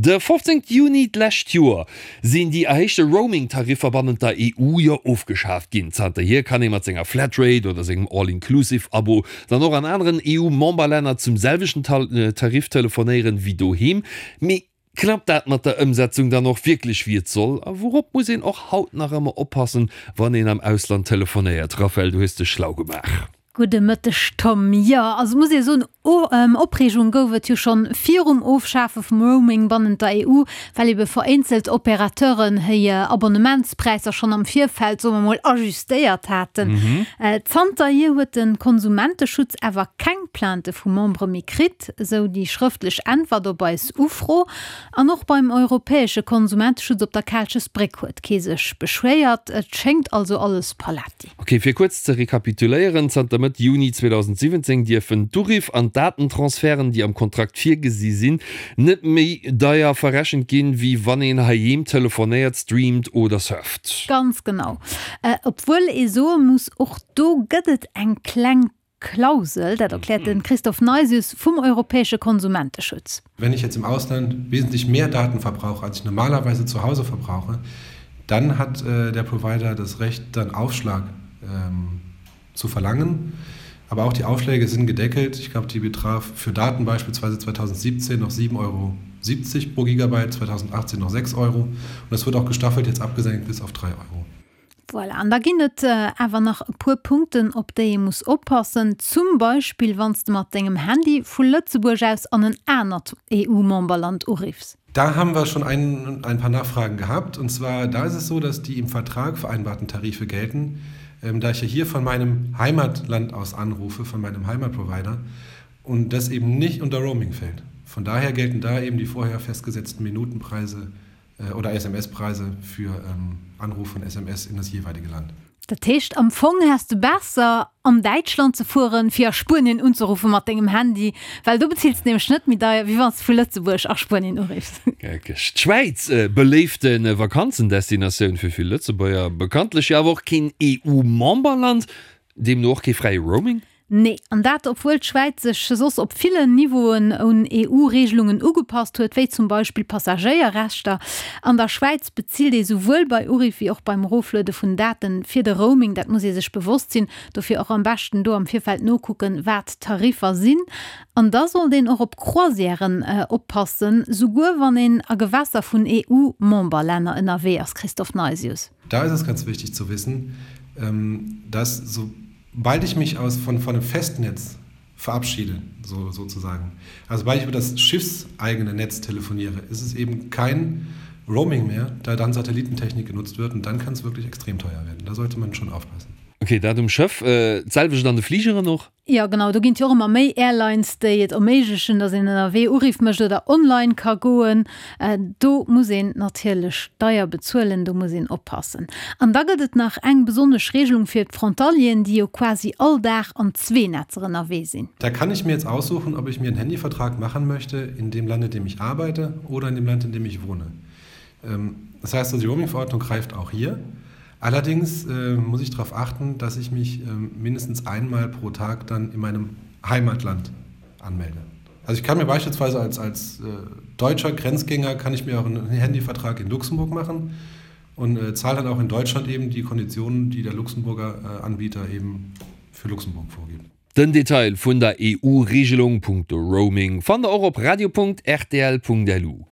De 15 Juni d'lescht Joer sinn déi erhéichte Roaming-Tariffer bannent der EU jo ofgeschaaft ginn. Zanterhier kann ee mat senger Flatrate oder sengem All-Inclusive-Abo dann och an aneren EU-Memberlänner zum selwechten Tarif telefonéieren wéi doheem. Mee klappt dat mat der Ëmsetzung dann och wierklech wéi et soll? A wourop muss een och haut nach ëmmer oppassen, wann een am Ausland telefonéiert? Raphaëlle, du hues dech schlau gemaach. Gudde Mëtteg Tom. Jo, also muss ee soen, Opreegung gouf et jo schonn virum Ofschafe vum Roaming bannent der EU, well ebe vereenzelt Operateuren hir Abonnementspräisser schonn am Virfeld, soe mer mol, ajustéiert haten. Zanterhier huet de Konsumenteschutz awer keng Plainte vu Membere méi kritt, esou déi schrëftlech Äntwert op eis Ufro. An och beim europäesche Konsumenteschutz op der Kaalchesbréck huet kee sech beschwéiert. Et schéngt also alles paletti. Ok, fir kuerz ze rekapituléieren, Zanter Mëtt Juni 2017 dierfen d'Uriff an d'Datentransferten, déi am Kontrakt virgesi sinn, net méi deier verrechent ginn, wéi wann een heiheem telefonéiert, streamt oder surft. Ganz genau. Obwuel ee soe muss, och do gëtt et eng kleng Klausel, dat erkläert de Christophe Neisius vum europäesche Konsumenteschutz. Wenn ich jetzt im Ausland wesentlich mehr Daten verbrauche, als ich normalerweise zu Hause verbrauche, dann hat äh, der Provider das Recht, dann Aufschlag ähm, zu verlangen. Aber auch die Aufschläge sind gedeckelt. Ich glaube, die betraf für Daten beispielsweise 2017 noch 7,70 Euro pro Gigabyte, 2018 noch 6 Euro. Und das wird auch gestaffelt jetzt abgesenkt bis auf 3 Euro. Voilà, an da ginn et awer nach e puer Punkten, op déi ee muss oppassen. Zum Beispill, wann s de mat dengem Handy vu Lëtzebuerg aus an en anert EU-Memberland uriffs. Da haben wir schon ein, ein paar Nachfragen gehabt. Und zwar, da ist es so, dass die im Vertrag vereinbarten Tarife gelten. Ähm, da ich ja hier von meinem Heimatland aus anrufe, von meinem Heimatprovider und das eben nicht unter Roaming fällt. Von daher gelten da eben die vorher festgesetzten Minutenpreise oder SMS-Preise für Anruf von SMS in das jeweilige Land. Dat heescht, am Fong häss de besser an Däitschland ze fueren, fir a Spuenien unzeruffen mat dengem Handy, well do bezills de nämlech net méi deier, wéi wann s de vu Lëtzebuerg a Spuenien uriffs. Geckeg. D'Schwäiz, beléifte Vakanzendestinatioun fir vill Lëtzebuerger, bekanntlech jo awer och keen EU-Memberland, deemno och kee fräie Roaming. Nee, an dat obwuel d'Schwäiz sech soss op villen Niveauen un EU-Regelungen ugepasst huet, wéi zum Beispill Passagéierrechter. An der Schwäiz bezilt ee souwuel bei Uriff wéi och beim Erofluede vun Daten fir de Roaming. Dat muss ee sech bewosst sinn. Dofir och am beschten do am Virfeld nokucken, wat d'Tariffer sinn. An da sollt een och op Croisièren oppassen, souguer wann een a Gewässer vun EU-Memberlänner ënnerwee ass, Christophe Neisius. Da ist es ganz wichtig zu wissen, dass sobald ich mich aus von, von einem Festnetz verabschiede, so, sozusagen, also sobald ich über das schiffseigene Netz telefoniere, ist es eben kein Roaming mehr, da dann Satellitentechnik genutzt wird und dann kann es wirklich extrem teuer werden. Da sollte man schon aufpassen. Okay, dat um Schëff. D'selwecht an de Fligeren och? Jo genau, do ginn et jo och ëmmer méi Airlines, déi et erméiglechen, datt een ënnerwee Uriff mécht oder online ka goen. Do muss een natierlech deier bezuelen, do muss een oppassen. An da gëtt et nach eng besonnesch Regelung fir d'Frontalieren, déi jo quasi all Dag an zwee Netzer ënnerwee sinn. Da kann ich mir jetzt aussuchen, ob ich mir einen Handyvertrag machen möchte in dem Land, in dem ich arbeite oder in dem Land, in dem ich wohne. Das heißt also, die Roaming-Verordnung greift auch hier. Allerdings äh, muss ich darauf achten, dass ich mich äh, mindestens einmal pro Tag dann in meinem Heimatland anmelde. Also ich kann mir beispielsweise als, als äh, deutscher Grenzgänger kann ich mir auch einen Handyvertrag in Luxemburg machen und äh, zahle dann auch in Deutschland eben die Konditionen, die der Luxemburger äh, Anbieter eben für Luxemburg vorgibt. Den Detail vun der EU-Regelung punkto Roaming fannt der och op radio.rtl.lu.